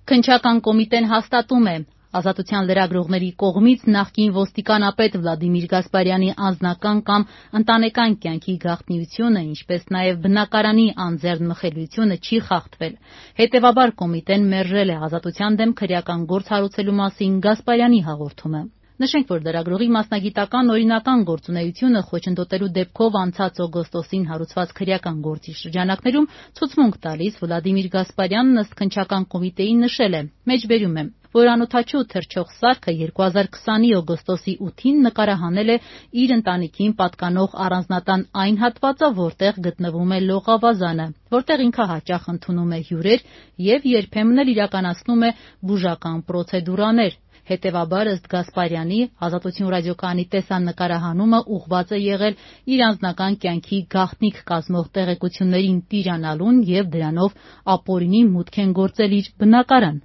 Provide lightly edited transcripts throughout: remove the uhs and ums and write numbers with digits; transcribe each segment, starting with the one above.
Քննչական կոմիտեն հաստատում է. Ազատության լրագրողների կողմից նախկին ոստիկանապետ Վլադիմիր Գասպարյանի անձնական կամ ընտանեկան կյանքի գաղտնիությունը, ինչպես նաև բնակարանի անձեռնմխելիությունը չի խախտվել։ Հետևաբար կոմիտեն մերժել է Ազատության դեմ քրեական գործ հարուցելու մասին Գասպարյանի հաղորդումը։ Նշենք, որ լրագրողի մասնագիտական օրինական գործունեությունը խոչընդոտելու դեպքով անցած օգոստոսին հարուցված քրեական գործի շրջանակներում ցուցմունք տալիս Վլադիմիր Գասպարյանն ըստ քննչական կոմիտեի նշել է. մեջբերում եմ, որ անօդաչու թռչող սարքը 2020-ի օգոստոսի 8-ին նկարահանել է իր ընտանիքին պատկանող առանձնատան այն հատվածը, որտեղ գտնվում է լողավազանը, որտեղ ինքը հաճախ ընդունում է հյուրեր և երբեմն էլ իրականացնում է բուժական պրոցեդուրաներ։ Հետևաբար, ըստ Գասպարյանի, Ազատություն ռադիոկայանի տեսանկարահանումը ուղղված է եղել իր անձնական կյանքի գաղտնիք կազմող տեղեկություններին տիրանալուն և դրանով ապօրինի մուտք են գործել իր բնակարան։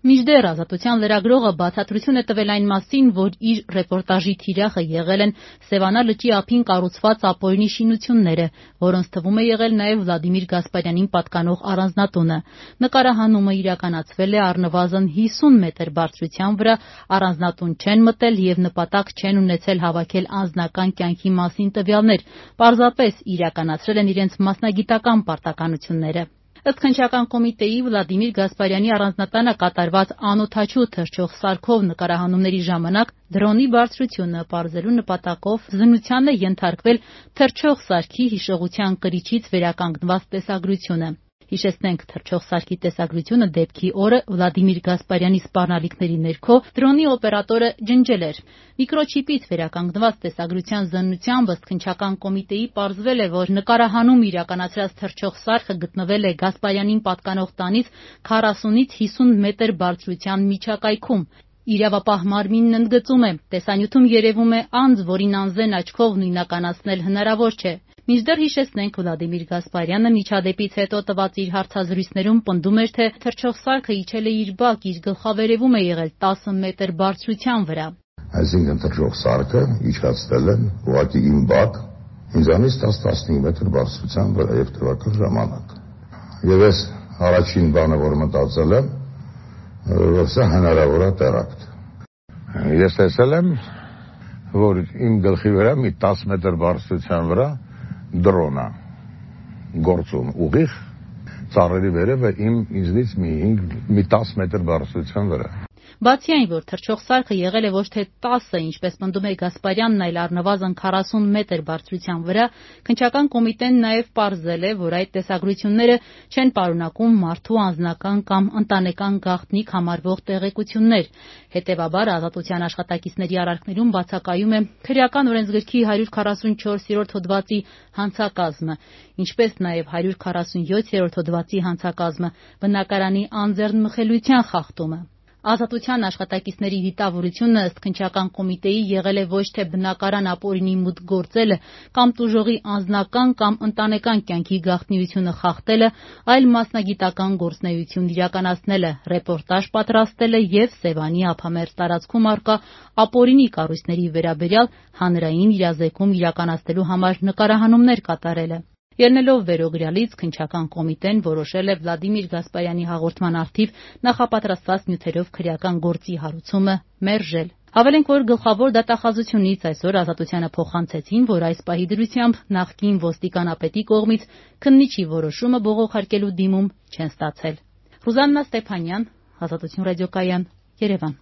Մինչդեռ Ազատության լրագրողը բացատրություն է տվել այն մասին, որ իր ռեպորտաժի թիրախը եղել են Սևանա լճի ափին կառուցված ապօրինի շինությունները, որոնց թվում է եղել նաև Վլադիմիր Գասպարյանին պատկանող առանձնատունը։ Նկարահանումը իրականացվել է առնվազն 50 մետր բարձրության վրա, առանձնատուն չեն մտել և նպատակ չեն ունեցել հավաքել անձնական կյանքի մասին տվյալներ, պարզապես իրականացրել են իրենց մասնագիտական պարտականությունները։ Ըստ քննչական կոմիտեի, Վլադիմիր Գասպարյանի առանձնատանը կատարված անօդաչու թռչող սարքով նկարահանումների ժամանակ դրոնի բարձրությունը պարզելու նպատակով զննության է ենթարկվել թռչող սարքի հիշողության կրիչից վերականգնված տեսագրությունը։ Հիշեցնենք, թռչող սարքի տեսագրությունը դեպքի օրը Վլադիմիր Գասպարյանի սպառնալիքների ներքո դրոնի օպերատորը ջնջել էր։ Միկրոչիպից վերականգնված տեսագրության զննությամբ ըստ քննչական կոմիտեի պարզվել է, որ նկարահանում իրականացրած թռչող սարքը գտնվել է Գասպարյանին պատկանող տանից 40-ից 50 մետր բարձրության միջակայքում։ Իրավապահ մարմինն ընդգծում է. տեսանյութում երևում է անձ, որին անզեն աչքով նույնականացնել հնարավոր չէ։ Մինչդեռ հիշեցնենք, Վլադիմիր Գասպարյանը միջադեպից հետո տված իր հարցազրույցներում պնդում էր, թե թռչող սարքը իջել է իր բակ, իր գլխավերևում է եղել 10 մետր բարձրության վրա։ Այսինքն թռչող սարքը իջացել են ուղղակի իմ բակ, ինձանից 10-15 մետր բարձրության վրա եւ տևական ժամանակ։ Եվ ես առաջին բանը, որ մտածել եմ, որ սա հնարավոր է տերակտ։ Ես տեսել եմ, որ իմ գլխի վրա մի 10 մետր բարձրության վրա դրոն է գործում ուղիղ ծառերի վերևը ինձնից մի 10 մետր բարձրության վրա։ Բացի այն, որ թռչող սարքը եղել է ոչ թե 10, ինչպես պնդում է Գասպարյանն, այլ առնվազն 40 մետր բարձրության վրա, քննչական կոմիտեն նաև պարզել է, որ այդ տեսագրությունները չեն պարունակում մարդու անձնական կամ ընտանեկան գաղտնիք համարվող տեղեկություններ։ Հետևաբար, Ազատության աշխատակիցների արարքներում բացակայում է Քրեական օրենսգրքի 144-րդ հոդվածի հանցակազմը, ինչպես նաև 147-րդ հոդվածի հանցակազմը, բնակարանի անձեռնմխելիության խախտումը։ Ազատության աշխատակիցների դիտավորությունը ըստ քննչական կոմիտեի եղել է ոչ թե բնակարան ապօրինի մուտք գործելը կամ տուժողի անձնական կամ ընտանեկան կյանքի գաղտնիությունը խախտելը, այլ մասնագիտական գործունեություն իրականացնելը, ռեպորտաժ պատրաստելը և Սևանի ափամերձ տարածքում առկա ապօրինի կառույցների վերաբերյալ հանրային իրազեկում իրականացնելու համար նկարահանումներ կատարելը։ Ելնելով վերօրյալից, քննչական կոմիտեն որոշել է Վլադիմիր Գասպարյանի հաղորդման առթիվ նախապատրաստված նյութերով քրեական գործի հարուցումը մերժել։ Հավելենք, որ գլխավոր դատախազությունից այսօր Ազատությանը փոխանցեցին, որ այս պահի դրությամբ նախկին ոստիկանապետի կողմից քննիչի որոշումը բողոքարկելու դիմում չեն ստացել։ Ռուզաննա Ստեփանյան, Ազատություն ռադիոկայան, Երևան։